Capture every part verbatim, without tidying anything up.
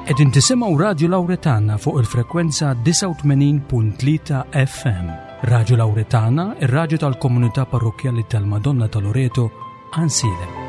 Qegħdin tisimgħu Radju Lawretana fuq il-frekwenza disgħa u tmenin punt tlieta F M. Radju Lawretana, ir-radju tal-Komunità Parrokkjali tal-Madonna ta' Loreto, Għajnsielem.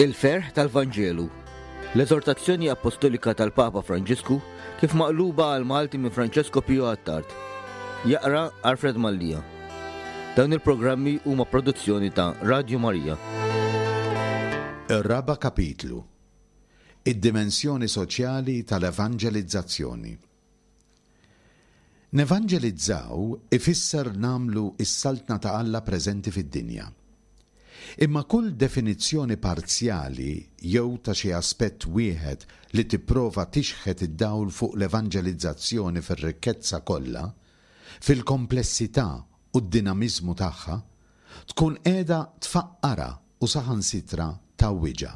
Il-ferħ tal-Vanġelu. L-eżortazzjoni apostolika tal-Papa Franġisku kif maqluba għal Malti minn Francesco Pio Attard. Jaqra Alfred Mallia. Dawn il-programmi huma produzzjoni ta' Radio Maria. Ir-raba' kapitlu. Id-dimensjoni soċjali tal-evanġelizzazzjoni. Nevanġelizzaw ifisser nagħmlu is-saltna ta' Alla preżenti fid-dinja. Imma kull definizzjoni parzjali jew ta' xi aspett wieħed li tipprova tixħet id-dawl fuq l-evanġelizzazzjoni fir-rikkezza kollha, fil-komplessità u d-dinamiżmu tagħha, tkun qiegħda tfaqqarha u saħansitra tgħawwiġha.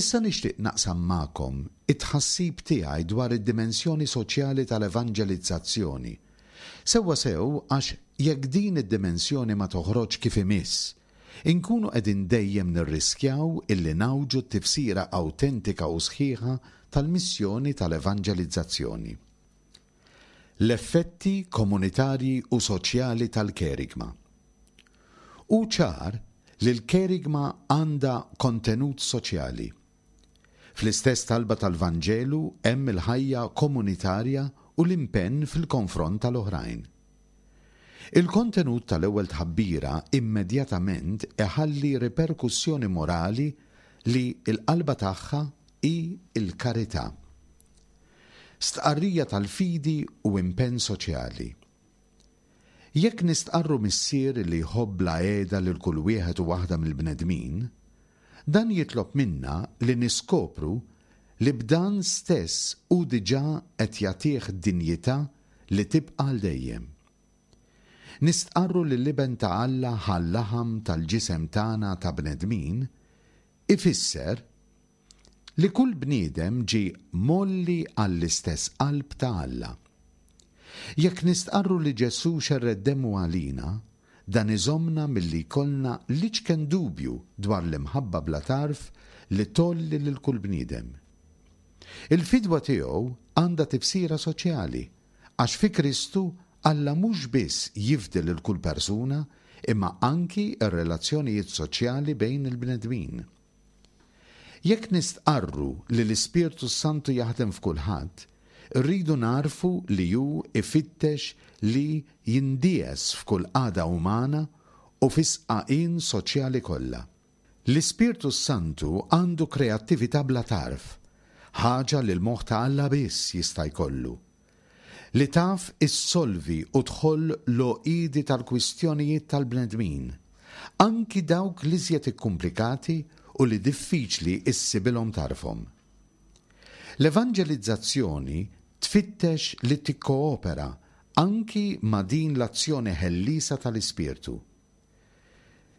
Issa nixtieq naqsam magħkom it-tħassib tiegħi dwar id-dimensjoni soċjali tal-evanġelizzazzjoni. Sewwa sew għax jekk din id-dimensjoni ma toħroġ kif imiss, inkunu qegħdin dejjem nirriskjaw illi ngħawġu t-tifsira awtentika u sħiħa tal-missjoni tal-evanġelizzazzjoni. L-effetti komunitarji u soċjali tal-kerigma. Hu ċar li l-kerigma għandha kontenut soċjali. Fl-istess talba tal-Vanġelu hemm il-ħajja komunitarja u l-impenn fil-konfront tal-oħrajn. Il-kontenut tal-ewwel tħabbira immedjatament iħalli riperkussjoni morali li l-qalba tagħha hi l-karità. Stqarrija tal-fidi u impenn soċjali. Jekk nistqarru missier li jħobb bla heda lil kull wieħed u waħda mill-bnedmin, dan jitlob minna li niskopru li b'dan stess hu diġà qed jagħtih dinjità li tibqa' għal dejjem. Nistqarru li l-Iben ta' Alla ħa l-laħam tal-ġisem tagħna ta' bnedmin, ifisser li kull bniedem ġie mgħolli għall-istess qalb ta' Alla. Jekk nistqarru li Ġesù xerred demmu għalina, dan iżommna milli jkollna l-iċken dubju dwar l-imħabba bla tarf li tgħolli lil kull bniedem. Il-fidwa tiegħu għandha tifsira soċjali, għax fi Kristu Alla mhux biss jifdi lil kull persuna, imma anki r-relazzjonijiet soċjali bejn il-bnedmin. Jekk nistqarru li l-Ispirtu Santu jaħdem f'kulħadd, rridu nagħrfu li hu ifittex li jindies f'kull qagħda umana u fis-sqaqien soċjali kollha. L-Ispirtu Santu għandu kreattività bla tarf, ħaġa li l-moħħ ta' Alla biss jista' jkollu, li taf issolvi u tħoll l-għoqidi tal-kwistjonijiet tal-bnedmin, anki dawk l-iżjed ikkumplikati u li diffiċli issibilhom tarfhom. L-evanġelizzazzjoni tfittex li tikkoopera anki ma' din l-azzjoni ħellisa tal-Ispirtu.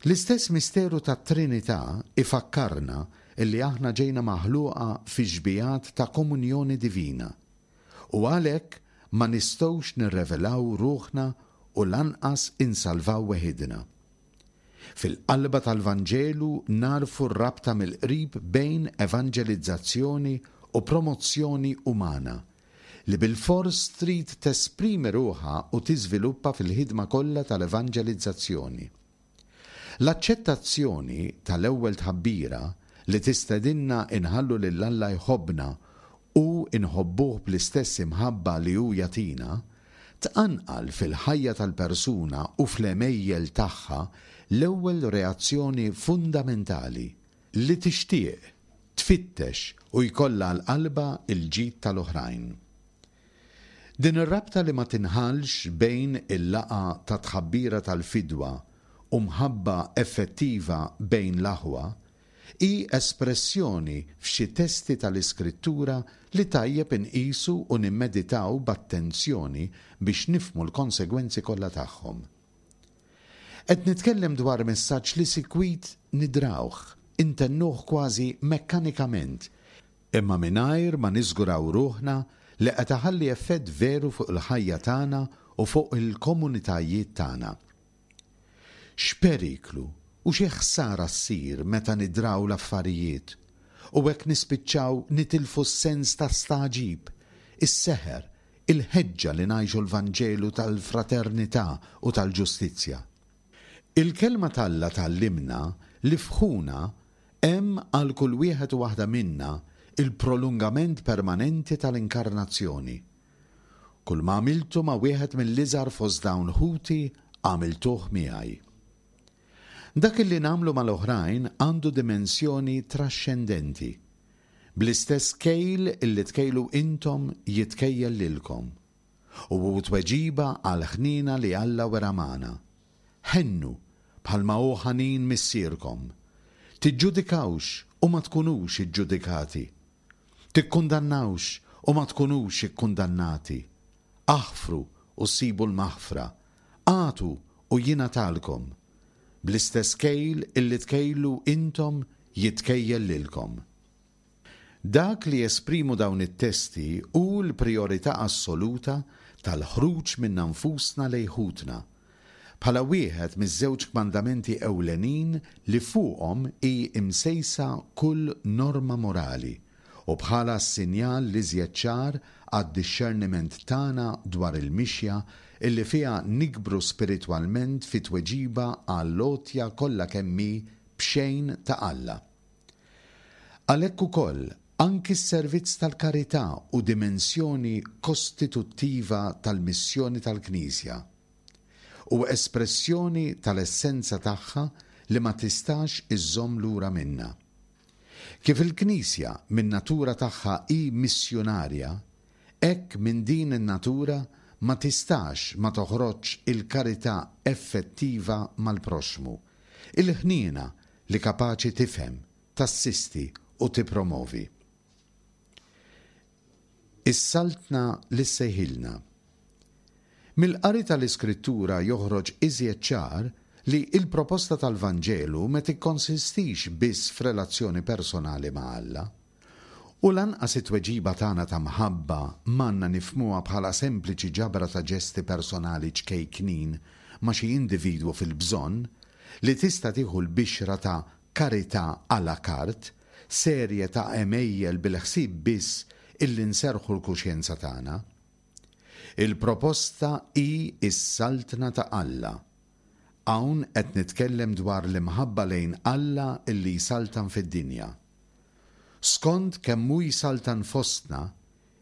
L-istess misteru tat-Trinità ifakkarna illi aħna ġejna maħluqa fi xbihat ta' komunjoni divina u għalhekk ma nistgħux nirrevelaw ruħna u lanqas insalvaw weħidna. Fil-qalba tal-Vanġelu nagħrfu r-rabta mill-qrib bejn evanġelizzazzjoni u promozzjoni umana li bil-fors trid tesprimi ruħha u tiżviluppa fil-ħidma kollha tal-evanġelizzazzjoni. L-aċċettazzjoni tal-ewwel tħabbira li tistedinna inħallu lil Alla jħobbna u inħobbuh bl-istess imħabba li hu jagħtina, tqanqal fil-ħajja tal-persuna u fl-għemejjel tagħha l-ewwel reazzjoni fundamentali li tixtieq, tfittex u jkollha għal qalbha l-ġid tal-oħrajn. Din ir-rabta li ma tinħallx bejn il-laqgħa ta' tħabbira tal-fidwa u mħabba effettiva bejn l-aħwa hi espressjoni f'xi testi tal-Iskrittura li tajjeb inqisu u nimmeditaw b'attenzjoni biex nifhmu l-konsegwenzi kollha tagħhom. Qed nitkellem dwar messaġġ li sikwit nidrawh, intennuh kważi mekkanikament, imma mingħajr ma niżguraw ruħna li qed iħalli effett veru fuq il-ħajja tagħna u fuq il-komunitajiet tagħna. X'periklu u xi ħsara ssir meta nidraw l-affarijiet u hekk nispiċċaw nitilfu s-sens ta' stagħġib, is-seħer, il-ħeġġa li ngħixu l-Vanġelu tal-fraternità u tal-ġustizzja. Il-kelma t'Alla tgħallimna li f'ħuna hemm għal kull wieħed u waħda minna il-prolungament permanenti tal-inkarnazzjoni. Kull ma għamiltu ma' wieħed mill-iżgħar fost dawn ħuti għamiltuh miegħi. Dak li nagħmlu mal-oħrajn għandu dimensjoni traxxendenti. Bl-istess kejl illi tkejlu intom jitkejjel lilkom. U hu tweġiba għal ħnina li Alla wera magħna. Ħennu bħalma hu ħanin missierkom. Tiġġudikawx u ma tkunux iġġudikati. Tikkundannawx u ma tkunux ikkundannati. Aħfru u ssibu l-maħfra. Agħtu u jingħatalkom. Bl-istess kejl illi tkejlu intom jitkejjel lilkom. Dak li jesprimu dawn it-testi hu l-priorità assoluta tal-ħruġ minna nfusna lejn ħutna, bħala wieħed miż-żewġ kmandamenti ewlenin li fuqhom hi imsejsa kull norma morali u bħala s-sinjal l-iżjed ċar għad-dixxerniment tagħna dwar il-mixja illi fiha nikbru spiritwalment fi tweġiba għall-għotja kollha kemm hi b'xejn ta' Alla. Għalhekk ukoll anki s-servizz tal-karità u dimensjoni kostituttiva tal-missjoni tal-Knisja u espressjoni tal-essenza tagħha li ma tistax iżżomm lura minna. Kif il-Knisja min-natura tagħha hi missjunarja, hekk minn din in-natura ma tistax ma toħroġx il-karità effettiva mal-proxxmu, il-ħniena li kapaċi tifhem, tassisti u tippromovi. Is-saltna li ssejħilna. Mill-qari tal-Iskrittura joħroġ iżjed ċar li il-proposta tal-Vanġelu ma tikkonsistix biss f'relazzjoni personali ma' Alla. U lanqas it-tweġiba tagħna ta' mħabba m'għandna nifhmuha bħala sempliċi ġabra ta' ġesti personali ċkejknin ma' xi individwu fil-bżonn li tista' tieħu l-bixra ta' karità à la carte, serje ta' għemejjel bil-ħsieb biss illi nserħu l-kuxjenza tagħna. Il-proposta hi s-saltna ta' Alla. Hawn qed nitkellem dwar l-imħabba lejn Alla illi jsaltan fid-dinja. Skont kemm hu jsaltan fostna,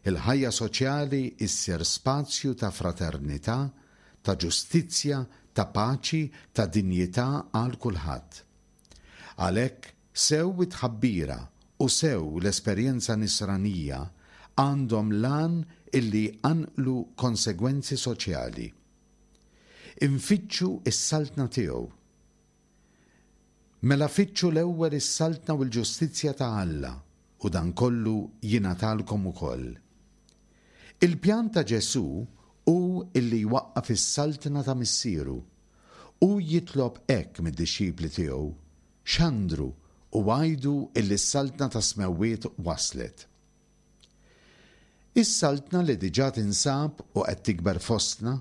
il-ħajja soċjali issir spazju ta' fraternità, ta' ġustizzja, ta' paċi, ta' dinjità għal kulħadd. Għalhekk sew it-tħabbira u sew l-esperjenza nisranija għandhom l-għan illi jqanqlu konsegwenzi soċjali. Infittxu s-saltna tiegħu. Mela fittxu l-ewwel is-saltna u l-ġustizzja ta' Alla u dan kollu jingħatalkom ukoll. Il-pjan ta' Ġesù hu illi jwaqqaf is-saltna ta' missieru. Hu jitlob hekk mid-dixxipli tiegħu: xandru u għidu illi s-saltna tas-smewwiet waslet. Is-saltna li diġà tinsab u qed tikber fostna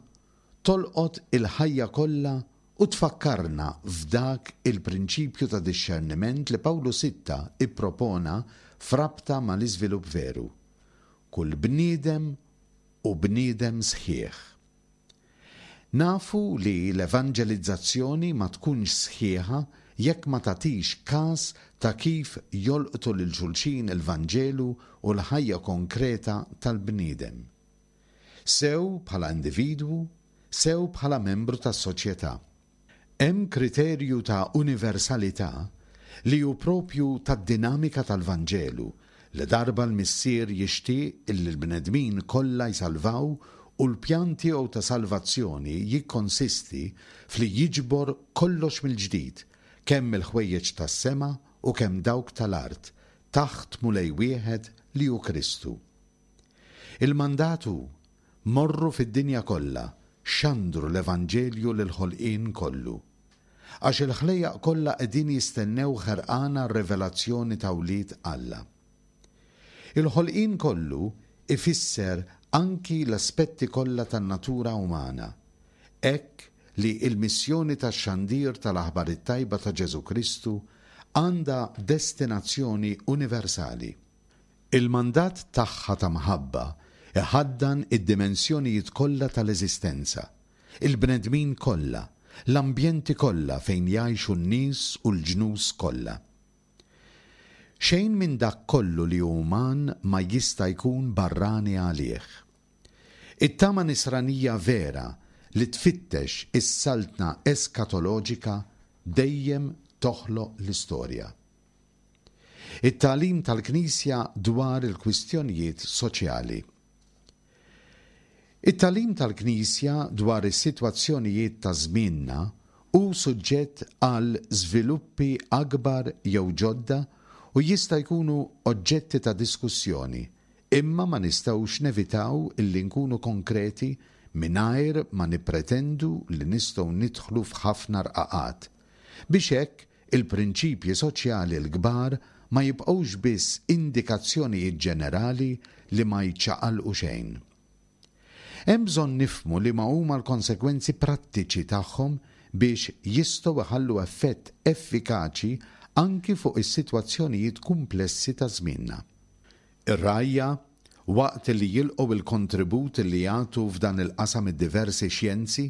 tolqot il-ħajja kollha u tfakkarna f'dak il-prinċipju ta' dixxerniment li Pawlu Sitta ippropona f'rabta mal-iżvilupp veru. Kull bniedem u bniedem sħiħ. Nafu li l-evanġelizzazzjoni ma tkunx sħiħa jekk ma tagħtix każ ta' kif jolqtu lil xulxin il-Vanġelu u l-ħajja konkreta tal-bniedem. Sew bħala individwu, sew bħala membru tas-soċjetà. Hemm kriterju ta' universalità li hu propju tad-dinamika tal-Vanġelu li darba l-Missier jixtieq illi l-bnedmin kollha jsalvaw u l-pjan tiegħu ta' salvazzjoni jikkonsisti fli jiġbor kollox mill-ġdid, kemm il-ħwejjeġ tas-sema u kemm dawk tal-art, taħt Mulej wieħed li hu Kristu. Il-mandat hu, morru fid-dinja kollha, xandru l-Evanġelju lill-ħolqien kollu. Għax il-ħlejjaq kollha qegħdin jistennew ħerqana r-rivelazzjoni ta' wlied Alla. Il-ħolqien kollu ifisser anki l-aspetti kollha tan-natura umana, hekk li l-missjoni tax-xandir tal-Aħbar it-Tajba ta' Ġesù Kristu għandha destinazzjoni universali. Il-mandat tagħha ta' mħabba iħaddan id-dimensjonijiet kollha tal-eżistenza, il-bnedmin kollha, l-ambjenti kollha fejn jgħixu n-nies u l-ġnus kollha. Xejn minn dak kollu li hu uman ma jista' jkun barrani għalih. It-tama nisranija vera li tfittex is-saltna eskatoloġika dejjem toħloq l-istorja. It-tagħlim tal-Knisja dwar il-kwistjonijiet soċjali. It-tagħlim tal-Knisja dwar is-sitwazzjonijiet ta' żmienna hu suġġett għal żviluppi akbar jew ġodda u jista' jkunu oġġetti ta' diskussjoni, imma ma nistgħux nevitaw illi nkunu konkreti mingħajr ma nippretendu li nistgħu nidħlu f'ħafna rqaqat, biex hekk il-prinċipji soċjali l-kbar ma jibqgħux biss indikazzjonijiet ġenerali li ma jċaqalqu xejn. Hemm bżonn nifhmu li ma huma l-konsegwenzi prattiċi tagħhom biex jistgħu iħallu effett effikaċi anki fuq is-sitwazzjonijiet kumplessi ta' żmienna. Ir-rgħajja, waqt li jilqgħu il-kontribut li jagħtu f'dan il-qasam id-diversi xjenzi,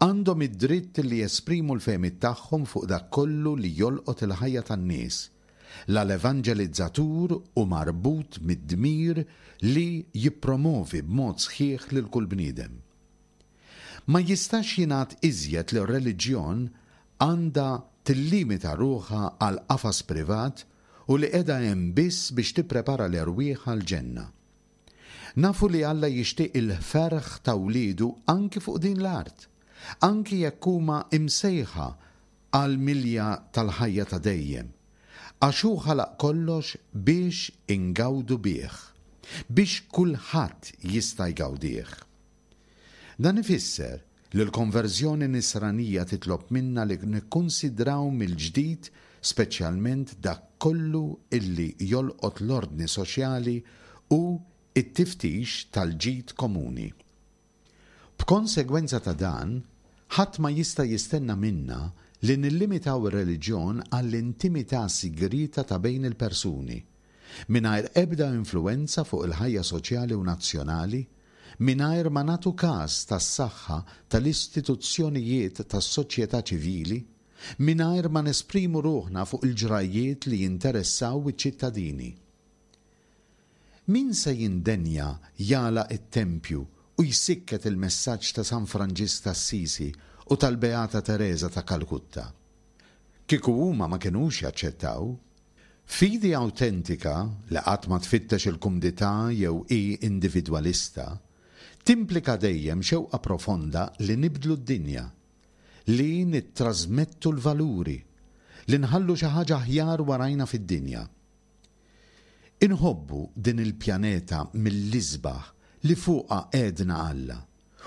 għandhom id-dritt li jesprimu l-fehmiet tagħhom fuq dak kollu li jolqot il-ħajja tan-nies. La l-evanġelizzatur hu marbut mid-dmir li jippromovi b'mod sħiħ lil kull bniedem. Ma jistax jingħad iżjed li r-reliġjon għandha tillimita ruħha għal qafas privat u li qiegħda hemm biss biex tipprepara l-erwieħ għall-ġenna. Nafu li Alla jixtieq il-ferħ ta' wliedu anki fuq din l-art, anki jekk huma imsejħa għal milja tal-ħajja ta' dejjem, għax hu ħalaq kollox biex ingawdu bih, biex kulħadd jista' jgawdih. Dan ifisser li l-konverżjoni nisranija titlob minna li nikkunsidraw mill-ġdid speċjalment dak kollu illi jolqot l-ordni soċjali u it-tiftix tal-ġid komuni. B'konsegwenza ta' dan, ħadd ma jista' jistenna minna li nillimitaw ir-reliġjon għall-intimità sigrieta ta' bejn il-persuni, mingħajr ebda influwenza fuq il-ħajja soċjali u nazzjonali, mingħajr ma nagħtu każ tas-saħħa tal-istituzzjonijiet tas-soċjetà ċivili, mingħajr ma nesprimu ruħna fuq il-ġrajjiet li jinteressaw iċ-ċittadini. Min se jindenja jagħlaq it-tempju u jsikket il-messaġġ ta' San Franġisk t'Assisi u tal-Beata Teresa ta' Kalkutta? Kieku huma ma kinux jaċċettaw. Fidi awtentika li qatt ma tfittex il-kumdità jew hi individwalista, timplika dejjem xewqa profonda li nibdlu d-dinja, li nittrasmettu l-valuri, li nħallu xi ħaġa aħjar warajna fid-dinja. Inħobbu din il-pjaneta mill-isbaħ li fuqha għedna Alla,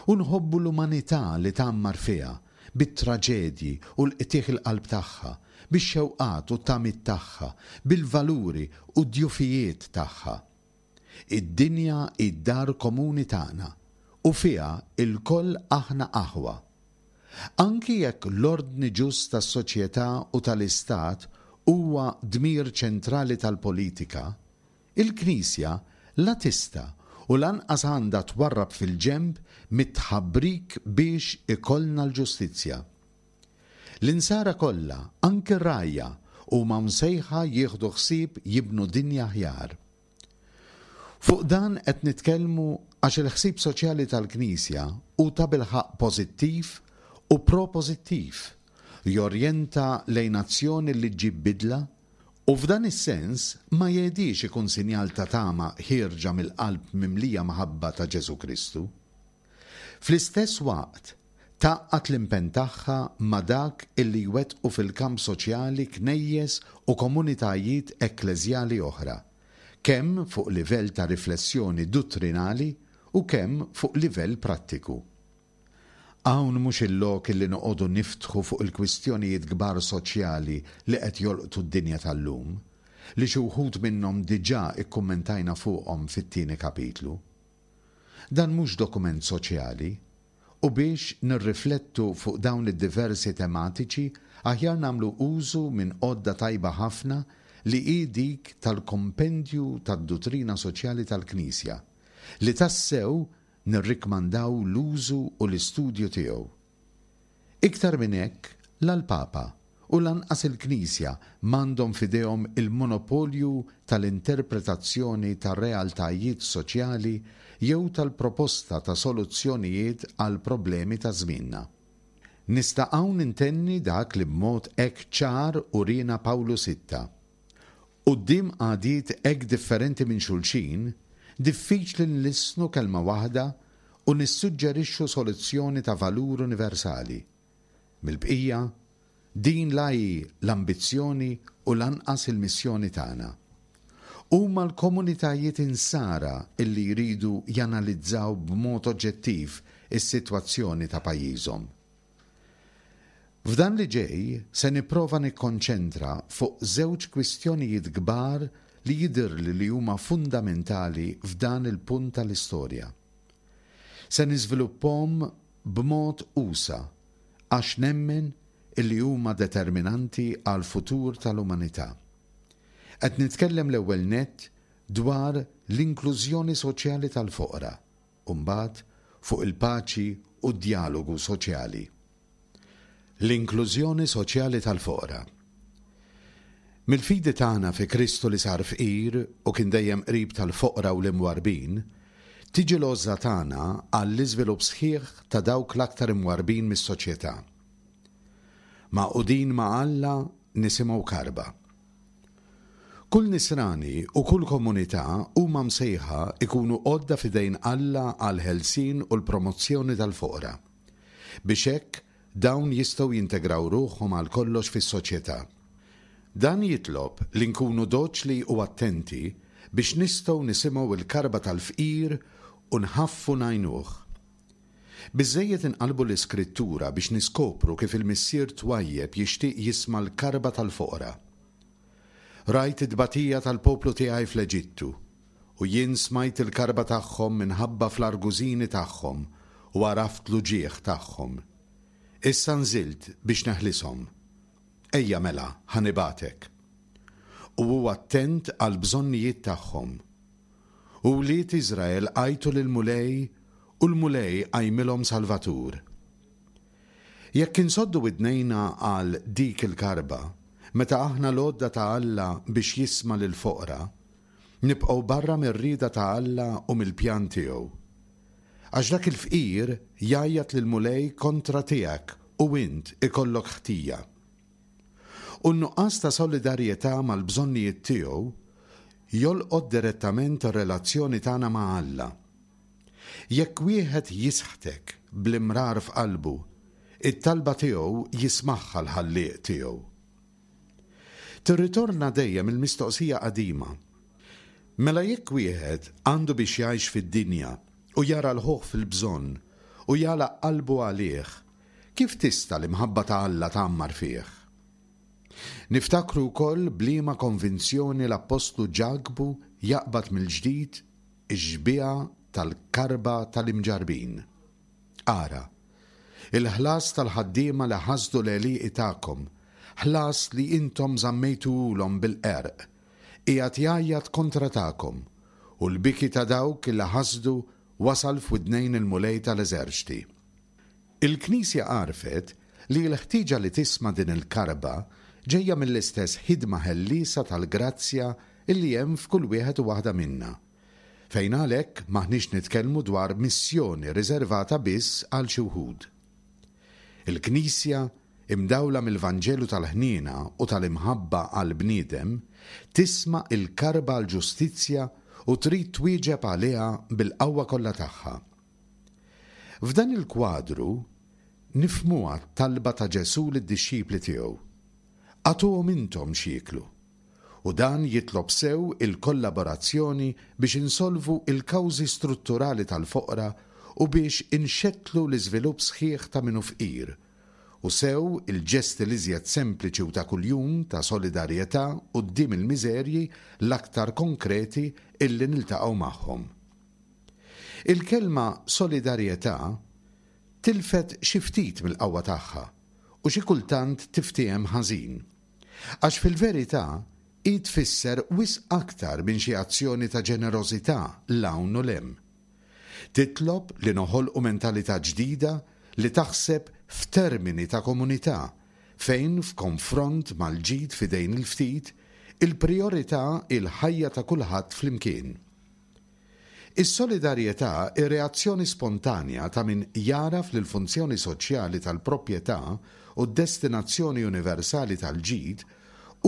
u nħobbu l-umanità li tgħammar fiha bit-traġedji u l-qtigħ il-qalb tagħha, bix-xewqat u t-tamiet tagħha, bil-valuri u d-djufijiet tagħha. Id-dinja hi d-dar komuni tagħna u fiha lkoll aħna aħwa. Anki jekk l-ordni ġust tas-soċjetà u tal-istat huwa dmir ċentrali tal-politika, il-Knisja la tista' u lanqas għandha twarrab fil-ġenb mit-tħabbrik biex ikollna l-ġustizzja. L-insara kollha, anki r-rgħajja, huma msejħa jieħdu ħsieb jibnu dinja aħjar. Fuq dan qed nitkellmu għax il-ħsieb soċjali tal-Knisja hu tabilħaqq pożittiv u propożittiv, jorjenta lejn azzjoni li ġġib bidla u f'dan is-sens ma jgħidix ikun sinjal ta' tama ħierġa mill-qalb mimlija maħabba ta' Ġesù Kristu. Fl-istess waqt, tgħaqqad l-impenn tagħha ma' dak illi jwettqu fil-kamp soċjali knejjes u komunitajiet ekkleżjali oħra, kemm fuq livell ta' riflessjoni duttrinali u kemm fuq livell prattiku. Hawn mhux il-lok illi noqogħdu niftħu fuq il-kwistjonijiet kbar soċjali li qed jolqtu d-dinja tal-lum, li xi wħud minnhom diġà ikkummentajna fuqhom fit-tieni kapitlu. Dan mhux dokument soċjali, u biex nirriflettu fuq dawn id-diversi tematiċi aħjar nagħmlu użu minn għodda tajba ħafna li hi dik tal-Kompendju tad-Duttrina Soċjali tal-Knisja, li tassew nirrikmandaw l-użu u l-istudju tiegħu. Iktar minn hekk, la l-Papa u lanqas il-Knisja m'għandhom f'idejhom il-monopolju tal-interpretazzjoni tar-realtajiet soċjali jew tal-proposta ta' soluzzjonijiet għall-problemi ta' żmienna. Nista' hawn intenni dak li b'mod hekk ċar uriena Pawlu Sitta. Quddiem qagħdiet hekk differenti minn xulxin, diffiċli nlissnu kelma waħda u nissuġġerixxu soluzzjoni ta' valur universali. Mill-bqija, din la hi l-ambizzjoni u lanqas il-missjoni tagħna. Huma l-komunitajiet insara illi jridu janalizzaw b'mod oġġettiv is-sitwazzjoni ta' pajjiżhom. F'dan li ġej se nipprova nikkonċentra fuq żewġ kwistjonijiet kbar li jidhirli li huma fundamentali f'dan il-punt tal-istorja. Se niżviluppahom b'mod usa' għax nemmen illi huma determinanti għall-futur tal-umanità. Qed nitkellem l-ewwel nett dwar l-inklużjoni soċjali tal-foqra u mbagħad fuq il-paċi u d-djalogu soċjali. L-inklużjoni soċjali tal-foqra. Mill-fidi tagħna fi Kristu li sar fqir u kien dejjem qrib tal-foqra u l-imwarbin, tiġi l-għożża tagħna għall-iżvilupp sħiħ ta' dawk l-aktar imwarbin mis-soċjetà. Magħqudin ma' Alla nisimgħu karba. Kull nisrani u kull komunità huma msejħa ikunu għodda f'idejn Alla għall-ħelsien u l-promozzjoni tal-foqra, biex hekk dawn jistgħu jintegraw ruħhom għal kollox fis-soċjetà. Dan jitlob li nkunu doċli u attenti biex nistgħu nisimgħu l-karba tal-fqir u nħaffu ngħinuh. Biżżejjed inqalbu l-Iskrittura biex niskopru kif il-Missier twajjeb jixtieq jisma' l-karba tal-foqra. Rajt it-tbatija tal-poplu tiegħi fl-Eġittu, u jien smajt il-karba tagħhom minħabba fl-argużini tagħhom u għaraft l-uġigħ tagħhom. Issa nżilt biex neħlishom. Ejja mela, ħa nibagħtek. U hu attent għall-bżonnijiet tagħhom. U wlied Iżrael għajtu lill-Mulej u l-Mulej qajmilhom Salvatur. Jekk insoddu widnejna għal dik il-karba, meta aħna l-għodda ta' Alla biex jisma' lill-foqra, nibqgħu barra mir-rieda ta' Alla u mill-pjan tiegħu. Għax dak il-fqir jgħajjat lill-Mulej kontra tiegħek u int ikollok ħtija. U n-nuqqas ta' solidarjetà mal-bżonnijiet tiegħu jolqot direttament ir-relazzjoni tagħna ma' Alla. Jekk wieħed jisħtek bl-imrar f'qalbu, it-talba tiegħu jismagħha l-Ħallieq tiegħu. Tirritorna dejjem il-mistoqsija qadima. Mela jekk wieħed għandu biex jgħix fid-dinja u jara l-ħuħ fil-bżonn u jagħlaq qalbu għalih, kif tista' l-imħabba ta' Alla tgħammar fih? Niftakru wkoll b'liema konvinzjoni l-Appostlu Ġakbu jaqbad mill-ġdid ix-xbieha tal-karba tal-imġarbin. Ara, il-ħlas tal-ħaddiema li ħasdu l-għelieqi tagħkom, ħlas li intom żammejtuhulhom bil-qerq, qiegħed jgħajjat kontra tagħkom, u l-biki ta' dawk li ħasdu wasal f'widnejn il-Mulej tal-eżerċti. Il-Knisja għarfet li l-ħtieġa li tisma' din il-karba ġejja mill-istess ħidma ħelliesa tal-grazzja illi hemm f'kull wieħed u waħda minna, fejn għalhekk m'aħniex nitkellmu dwar missjoni riservata biss għal xi wħud. Il-Knisja, imdawla mill-Vanġelu tal-ħniena u tal-imħabba għall-bniedem, tisma' il-karba għall-ġustizzja u trid twieġeb għaliha bil-qawwa kollha tagħha. F'dan il-kwadru, nifhmuha t-talba ta' Ġesù lid-dixxipli tiegħu, Agħtuhom intom x'jieklu. U dan jitlob sew il-kollaborazzjoni biex insolvu l-kawżi strutturali tal-foqra u biex inxettlu l-iżvilupp sħiħ ta' min hu fqir, u sew il-ġesti l-iżjed sempliċi u ta' kuljum ta' solidarjetà quddiem il-miżerji l-aktar konkreti illi niltaqgħu magħhom. Il-kelma solidarjetà tilfet xi ftit mill-qawwa tagħha u xi kultant tiftiehem ħażin. Għax fil-verità hi tfisser wisq aktar minn xi azzjoni ta' ġenerożità 'l hawn u 'l hemm. Titlob li noħolqu mentalità ġdida li taħseb f'termini ta' komunità fejn f'konfront mal-ġid f'idejn il-ftit, il-prijorità hi l-ħajja ta' kulħadd flimkien. Is-solidarjetà hi reazzjoni spontanja ta' min jagħraf li l-funzjoni soċjali tal-proprjetà u d-destinazzjoni universali tal-ġid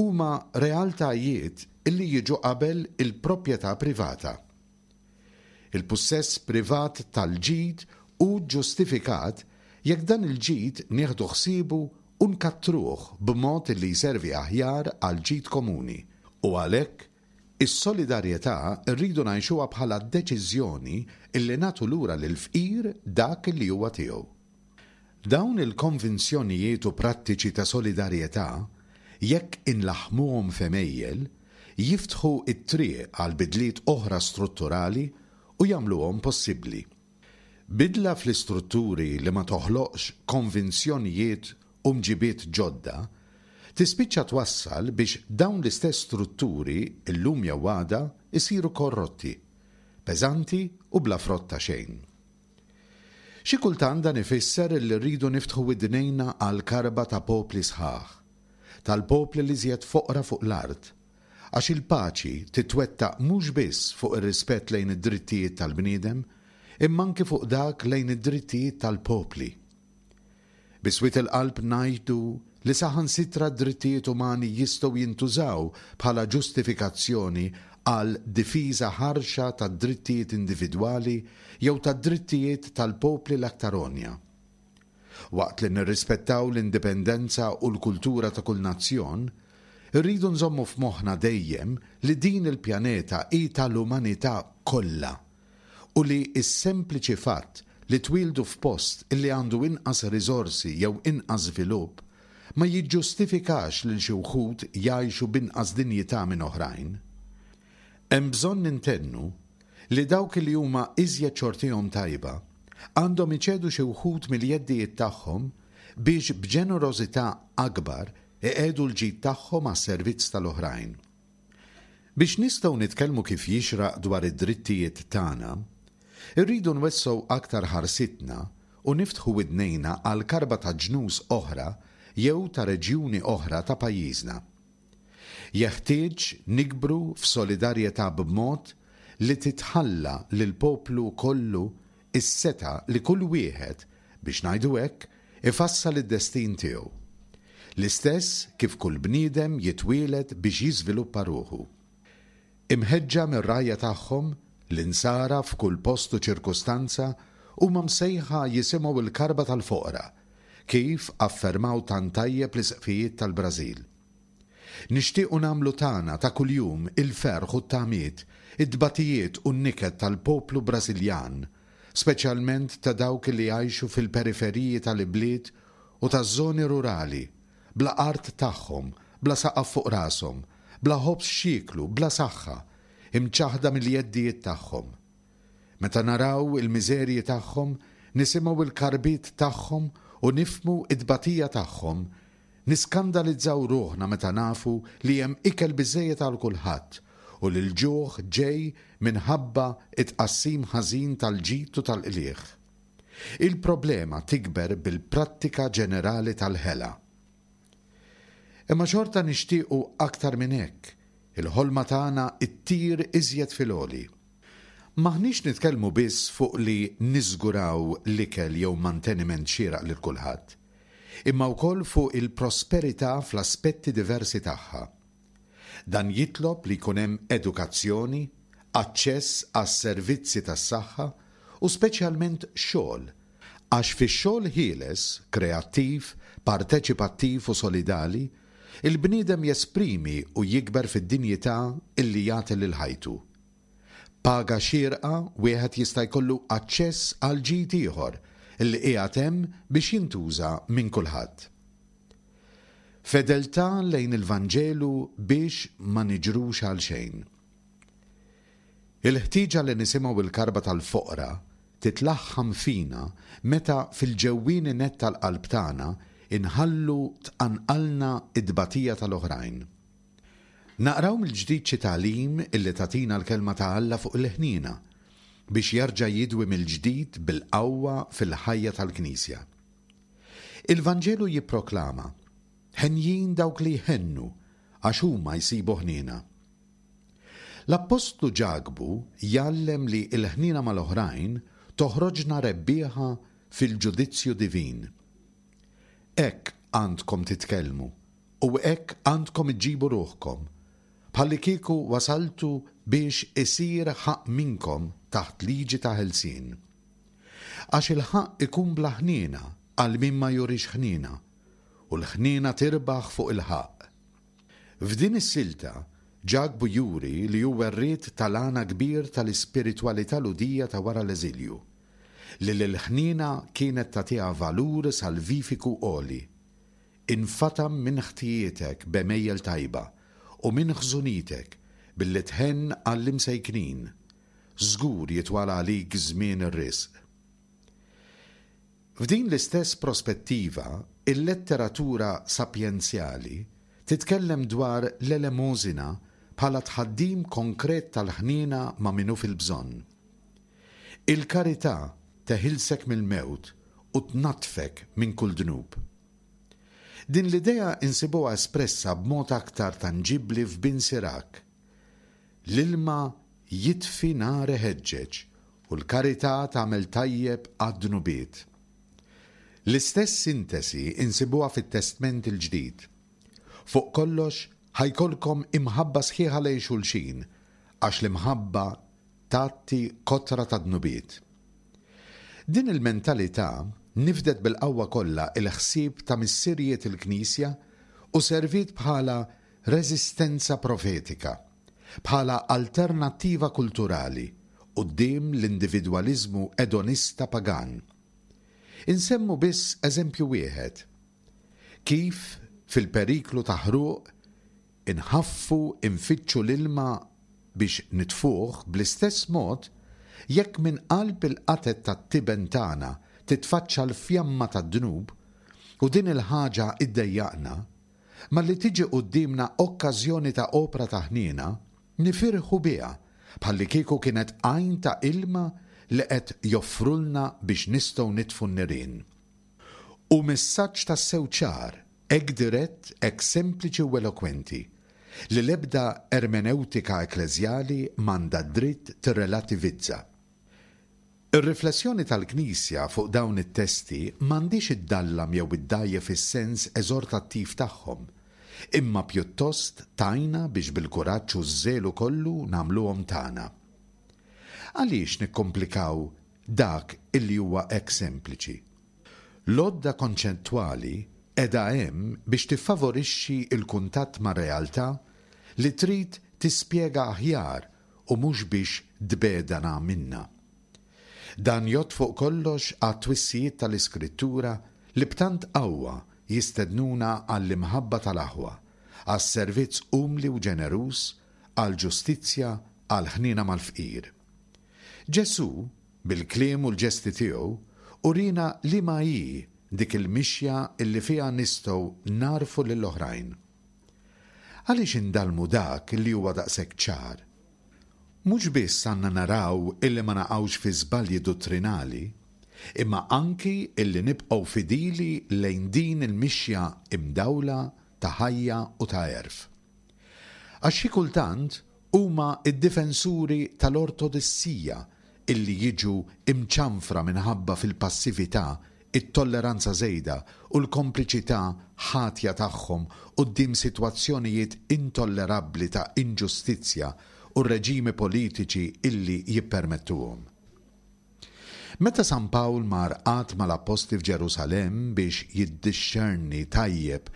huma realtajiet li jiġu qabel il-proprjetà privata. Il-pussess privat tal-ġid hu ġustifikat jekk dan il-ġid nieħdu ħsiebu u nkattruh b'mod li jservi aħjar għall-ġid komuni, u għalhekk is-solidarjetà rridu ngħixuha bħala deċiżjoni illi nagħtu lura lill-fqir dak li huwa tiegħu. Dawn il-konvinzjonijiet u prattiċi ta' solidarjetà, jekk inlaħħmuhom f'għemejjel, jiftħu t-triq għal bidliet oħra strutturali u jagħmluhom possibbli. Bidla fl-istrutturi li ma toħloqx konvinzjonijiet u mġibiet ġodda, tispiċċa twassal biex dawn l-istess strutturi illum jew għada jsiru korrotti, peżanti u bla frott ta' xejn. Xi kultant dan ifisser li rridu niftħu widnejna għall-karba ta' popli sħaħ, tal-popli l-iżjed foqra fuq l-art, għax il-paċi titwettaq mhux biss fuq ir-rispett lejn id-drittijiet tal-bniedem, imma anki fuq dak lejn id-drittijiet tal-popli. Bi swied il-qalb ngħidu li saħansitra d-drittijiet umani jistgħu jintużaw bħala ġustifikazzjoni għal difiża ħarxa tad-drittijiet individwali jew tad-drittijiet tal-popli l-aktar għonja. Waqt li nirrispettaw l-indipendenza u l-kultura ta' kull nazzjon, irridu nżommu f'moħħna dejjem li din il-pjaneta hi tal-umanità kollha u li s-sempliċi fatt li twieldu f'post illi għandu inqas riżorsi jew inqas żvilupp ma jiġġustifikax lil xi wħud jgħixu b'inqas dinjità minn oħrajn. Hemm bżonn nintennu li dawk li huma iżjed xortihom tajba għandhom iċedu xi wħud mill-jeddijiet tagħhom biex b'ġenerożità akbar iqiegħdu l-ġid tagħhom għas-servizz tal-oħrajn. Biex nistgħu nitkellmu kif jixraq dwar id-drittijiet tagħna, irridu nwessgħu aktar ħarsitna u niftħu widnejna għal karba ta' ġnus oħra jew ta' reġjuni oħra ta' pajjiżna. Jeħtieġ nikbru f'solidarjetà b'mod li titħalla lill-poplu kollu s-setgħa li kull wieħed, biex ngħidu hekk, ifassal id-destin tiegħu. L-istess kif kull bniedem jitwieled biex jiżviluppa ruħu. Imħeġġa mir-rgħajja tagħhom, l-Insara f'kull post u ċirkustanza huma msejħa jisimgħu l-karba tal-foqra, kif affermaw tant tajjeb l-isqfijiet tal-Brażil. Nixtiequ nagħmlu tagħna ta' kuljum il-ferħ u t-tamiet, it-tbatijiet u n-niket tal-poplu Brażiljan, speċjalment ta' dawk li jgħixu fil-periferiji tal-ibliet u taż-żoni rurali, bla art tagħhom, bla saqaf fuq rashom, bla ħobż x'jieklu, bla saħħa, imċaħħda mill-jeddijiet tagħhom. Meta naraw il-miżerji tagħhom, nisimgħu l-karbiet tagħhom u nifhmu t-tbatija tagħhom, niskandalizzaw ruħna meta nafu li hemm ikel biżżejjed għal kulħadd u li l-ġuħ ġej minħabba t-tqassim ħażin tal-ġid u tal-qligħ. Il-problema tikber bil-prattika ġenerali tal-ħela. Imma xorta nixtiequ aktar minn hekk, il-ħolma tagħna ttir iżjed fil-għoli. M'aħniex nitkellmu biss fuq li niżguraw l-ikel jew manteniment xieraq lil kulħadd, imma wkoll fuq il-prosperità fl-aspetti diversi tagħha. Dan jitlob li jkun hemm edukazzjoni, aċċess għas-servizzi tas-saħħa u speċjalment xogħol, Għax fix-xogħol ħieles, kreattiv, parteċipattiv u solidali, il-bniedem jesprimi u jikber fid-dinjità illi jagħti lil ħajtu. Paga xierqa wieħed jista' jkollu aċċess għal ġid ieħor illi qiegħed hemm biex jintuża minn kulħadd. Fedeltà lejn il-Vanġelu biex ma niġrux għal xejn. Il-ħtieġa li nisimgħu l-karba tal-foqra titlaħħam fina meta fil-ġewwieni nett tal-qalb tagħna inħallu tqanqalna t-tbatija tal-oħrajn. Naqraw mill-ġdid xi tagħlim illi tagħtina l-Kelma ta' Alla fuq il-ħniena biex jerġa' jidwi mill-ġdid bil-qawwa fil-ħajja tal-Knisja. Il-Vanġelu jipproklama, Henjin dawk li jħennu, għax huma jsibu ħniena. L-Appostlu Ġakbu jgħallem li l-ħniena mal-oħrajn toħroġna rebbieħa fil-ġudizzju divin. Hekk għandkom titkellmu u hekk għandkom iġġibu ruħkom, bħallikieku wasaltu biex isir ħaqq minnkom taħt liġi ta' ħelsien. Għax il-ħaqq ikun bla ħniena għal min ma jurix ħniena, u l-ħniena tirbaħ fuq il-ħaqq. F'din is-silta, Ġakbu juri li hu werriet tal-għana kbir tal-ispiritwalità Lhudija ta' wara l-eżilju, li lill-ħniena kienet tagħtiha valur salvifiku għoli. Infatam minn ħtijietek b'għemejjel tajba u minn ħżunitek billi tħenn għall-imsejknin. Żgur jitwal għalik żmien ir-risq. F'din l-istess prospettiva, il-letteratura sapjenzjali titkellem dwar l-elemosina bħala tħaddim konkret tal-ħniena ma' min hu fil-bżonn. Il-karità teħilsek mill-mewt u tnaddfek minn kull dnub. Din l-idea insibuha espressa b'mod aktar tanġibbli f'Bin Sirak. L-ilma jitfi nar iħeġġeġ u l-karità tagħmel tajjeb għad-dnubiet. L-istess sintesi insibuha fit-Testment il-Ġdid. Fuq kollox ħa jkollkom imħabba sħiħa lejn xulxin, għax l-imħabba tgħatti kotra ta' dnubiet. Din il-mentalità nifdet bil-qawwa kollha il-ħsieb ta' missirijiet il-Knisja u serviet bħala reżistenza profetika, bħala alternattiva kulturali quddiem l-individwaliżmu edonista pagan. Insemmu biss eżempju wieħed. Kif fil-periklu ta' ħruq inħaffu infittxu l-ilma biex nitfuh, bl-istess mod jekk minn qalb il-qatet tat-tiben tagħna titfaċċa l-fjamma tad-dnub u din il-ħaġa iddejjaqna, malli tiġi quddiemna okkażjoni ta' opra ta' ħniena, nifirħu biha bħallikieku kienet għajn ta' ilma li qed joffrulna biex nistgħu nitfu n-nirien. U messaġġ tassew ċar, hekk dirett, hekk sempliċi u elokwenti, li l-ebda ermeneutika ekkleżjali m'għandha dritt tirrelativizza. Ir-riflessjoni tal-Knisja fuq dawn it-testi m'għandhiex iddallam jew iddgħajjef is-sens eżortattiv tagħhom, imma pjuttost tgħinna biex bil-kuraġġ u ż-żelu kollu nagħmluhom tagħna. Għaliex nikkomplikaw dak illi huwa hekk sempliċi? L-għodda konċettwali qiegħda hemm biex tiffavorixxi l-kuntatt mar-realtà li trid tispjega aħjar u mhux biex tbegħdana minnha. Dan jgħodd fuq kollox għat-twissijiet tal-Iskrittura li b'tant qawwa jistednuna għall-imħabba tal-aħwa, għas-servizz umli u ġeneruż, għall-ġustizzja, għall-ħniena mal-fqir. Ġesù, bil-kliem u l-ġesti tiegħu, urina liema hi dik il-mixja illi fiha nistgħu nagħrfu lill-oħrajn. Għaliex indallmu dak li huwa daqshekk ċar? Mhux biss għandna naraw illi ma naqgħux fi żbalji dottrinali, imma anki illi nibqgħu fidili lejn din il-mixja imdawla ta' ħajja u ta' għerf. Għax xi kultant huma d-difensuri tal-ortodissija illi jiġu imċanfra minħabba fil-passività, it-tolleranza żejda u l-kompliċità ħatja tagħhom quddiem sitwazzjonijiet intollerabbli ta' inġustizzja u reġimi politiċi illi jippermettuhom. Meta San Pawl mar qagħad mal-appostli f'Ġerusalemm biex jiddixxerni tajjeb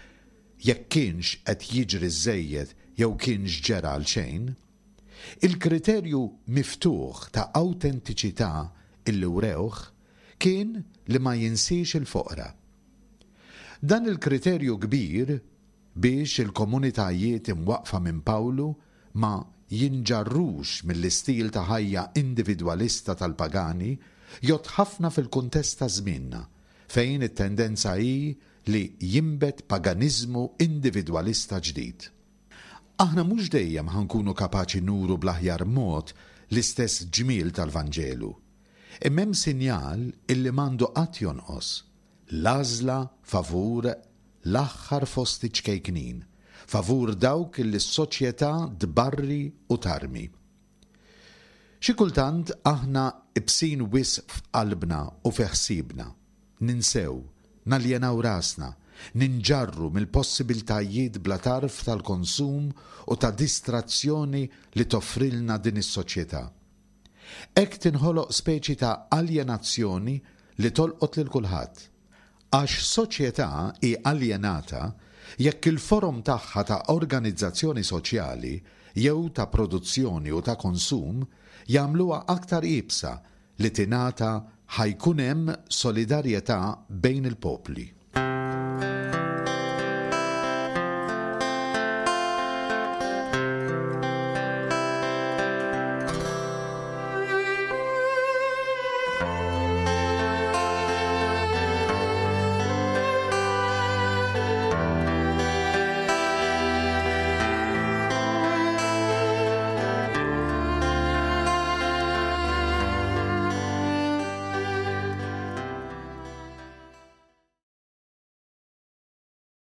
jekk kienx qed jiġri żejjed jew kienx ġera għal xejn, il-kriterju miftuħ ta' awtentiċità illi wrewh kien li ma jinsiex il-foqra. Dan il-kriterju kbir biex il-komunitajiet imwaqqfa minn Pawlu ma jinġarrux mill-istil ta' ħajja individwalista tal-pagani jgħodd ħafna fil-kuntest ta' żmienna, fejn it-tendenza hi li jinbet paganiżmu individwalista ġdid. Aħna mhux dejjem ħa nkunu kapaċi nuru bl-aħjar mod l-istess ġmiel tal-Vanġelu. Imma hemm sinjal illi m'għandu qatt jonqos, l-għażla favur l-aħħar fost iċ-ċkejknin, favur dawk illi s-soċjetà tbarri u tarmi. Xi kultant aħna ibsin wisq f'qalbna u fi ħsiebna, ninsew, naljenaw rasna, ninġarru mill-possibiltajiet bla tarf tal-konsum u ta' distrazzjoni li toffrilna din is-soċjetà. Hekk tinħoloq speċi ta' aljenazzjoni li tolqot lil kulħadd. Għax soċjetà hi aljenata jekk il-forom tagħha ta' organizzazzjoni soċjali jew ta' produzzjoni u ta' konsum jagħmluha aktar iebsa li tingħata ħa jkun hemm solidarjetà bejn il-popli.